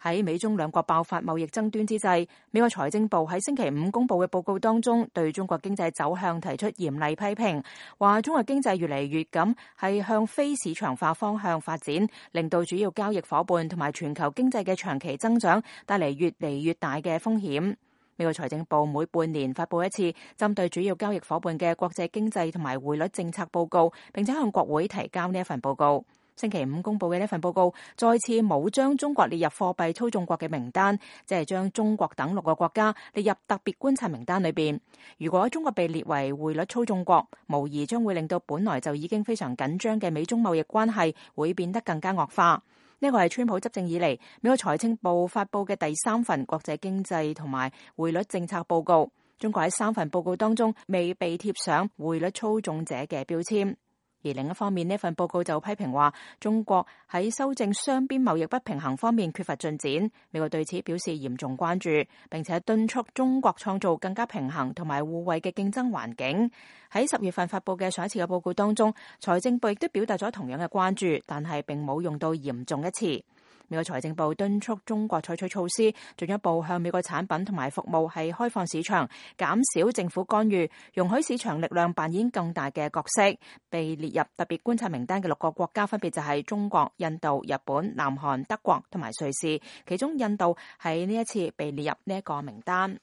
喺美中兩國爆發貿易爭端之際，美國財政部喺星期五公布嘅報告當中，對中國經濟走向提出嚴厲批評，話中國經濟越嚟越咁係向非市場化方向發展，令到主要交易夥伴同埋全球經濟嘅長期增長帶嚟越嚟越大嘅風險。美國財政部每半年發布一次針對主要交易夥伴嘅國際經濟同埋匯率政策報告，並且向國會提交呢一份報告。星期五公布嘅呢份報告再次冇將中國列入貨幣操縱國嘅名單，即係將中國等6個國家列入特別觀察名單裏邊。如果中國被列為匯率操縱國，無疑將會令到本來就已經非常緊張嘅美中貿易關係會變得更加惡化。呢個係川普執政以嚟美國財政部發布嘅第3份國際經濟同埋匯率政策報告。中國喺3份報告當中未被貼上匯率操縱者嘅標籤。而另一方面，呢份報告就批評話中國喺修正雙邊貿易不平衡方面缺乏進展。美國對此表示嚴重關注，並且敦促中國創造更加平衡同埋互惠嘅競爭環境。喺10月份發布嘅上一次嘅報告當中，財政部亦都表達咗同樣嘅關注，但係並冇用到嚴重一詞。美國財政部敦促中國採取措施，進一步向美國產品同埋服務係開放市場，減少政府干預，容許市場力量扮演更大嘅角色。被列入特別觀察名單嘅6個國家分別就係中國、印度、日本、南韓、德國同埋瑞士，其中印度喺呢一次被列入呢一個名單。